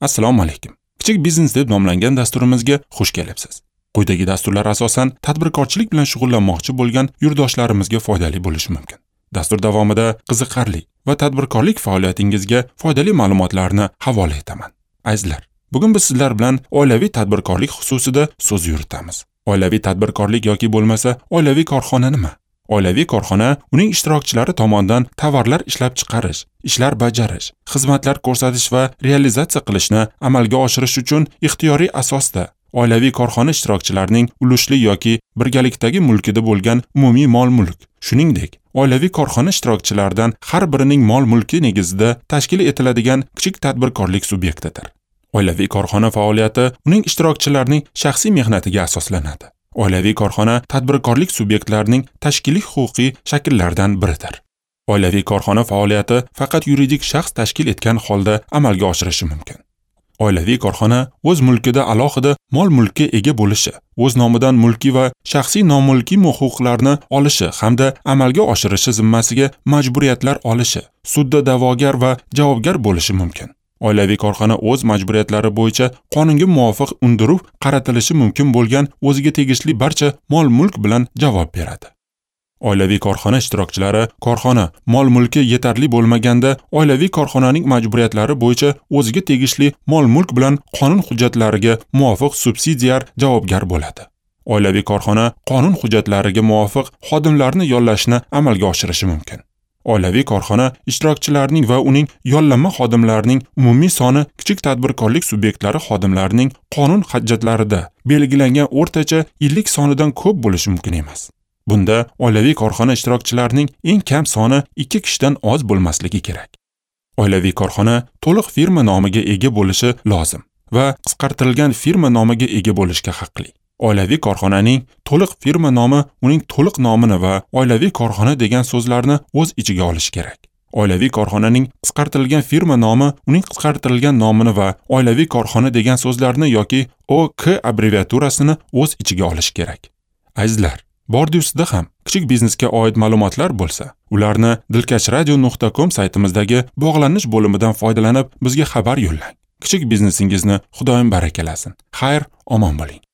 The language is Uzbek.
Assalomu alaykum. Kichik biznes deb nomlangan dasturimizga xush kelibsiz. Quyidagi dasturlar asosan tadbirkorchilik bilan shug'ullanmoqchi bo'lgan yurtdoshlarimizga foydali bo'lishi mumkin. Dastur davomida qiziqarli va tadbirkorlik faoliyatingizga foydali ma'lumotlarni havola etaman. Azizlar, bugun biz sizlar bilan oilaviy tadbirkorlik xususida so'z yuritamiz. Oilaviy tadbirkorlik yoki bo'lmasa oilaviy korxona nima? Oilaviy korxona uning ishtirokchilari tomonidan tovarlar ishlab chiqarish, ishlar bajarish, xizmatlar ko'rsatish va realizatsiya qilishni amalga oshirish uchun ixtiyoriy asosda oilaviy korxona ishtirokchilarining ulushli yoki birgalikdagi mulkida bo'lgan umumiy mol-mulk, shuningdek, oilaviy korxona ishtirokchilaridan har birining mol-mulki negizida tashkil etiladigan kichik tadbirkorlik subyektidir. Oilaviy korxona faoliyati uning ishtirokchilarining shaxsiy mehnatiga asoslanadi. Oilaviy korxona tadbirkorlik subyektlarining tashkiliy huquqiy shakllaridan biridir. Oilaviy korxona faoliyati faqat yuridik shaxs tashkil etgan holda amalga oshirishi mumkin. Oilaviy korxona o'z mulkida alohida mol-mulkka ega bo'lishi, o'z nomidan mulkiy va shaxsiy nomulkiy huquqlarni olishi hamda amalga oshirishi zimmasiga majburiyatlar olishi, sudda da'vogar va javobgar bo'lishi mumkin. Oilaviy korxona o'z majburiyatlari bo'yicha qonunga muvofiq undiruv qaratilishi mumkin bo'lgan o'ziga tegishli barcha mol-mulk bilan javob beradi. Oilaviy korxona ishtirokchilari korxona mol-mulki yetarli bo'lmaganda oilaviy korxonaning majburiyatlari bo'yicha o'ziga tegishli mol-mulk bilan qonun hujjatlariga muvofiq subsidiar javobgar bo'ladi. Oilaviy korxona qonun hujjatlariga muvofiq xodimlarni yollashni amalga oshirishi mumkin. Oilaviy korxona ishtirokchilarining va uning yollanma xodimlarining umumiy soni kichik tadbirkorlik subyektlari xodimlarining qonun hujjatlarida belgilangan o'rtacha yillik sonidan ko'p bo'lishi mumkin emas. Bunda oilaviy korxona ishtirokchilarining eng kam soni 2 kishidan oz bo'lmasligi kerak. Oilaviy korxona to'liq firma nomiga ega bo'lishi lozim va qisqartirilgan firma nomiga ega bo'lishga haqli. Oilaviy korxonaning to'liq firma nomi uning to'liq nomini va oilaviy korxona degan so'zlarni o'z ichiga olishi kerak. Oilaviy korxonaning qisqartirilgan firma nomi uning qisqartirilgan nomini va oilaviy korxona degan so'zlarni yoki OK abbreviaturasini o'z ichiga olishi kerak. Azizlar, bordi ustida ham kichik biznesga oid ma'lumotlar bo'lsa, ularni dilkashradio.com saytimizdagi bog'lanish bo'limidan foydalanib bizga xabar yo'llang. Kichik biznesingizni Xudoyim barakalasin. Xayr, omon bo'ling.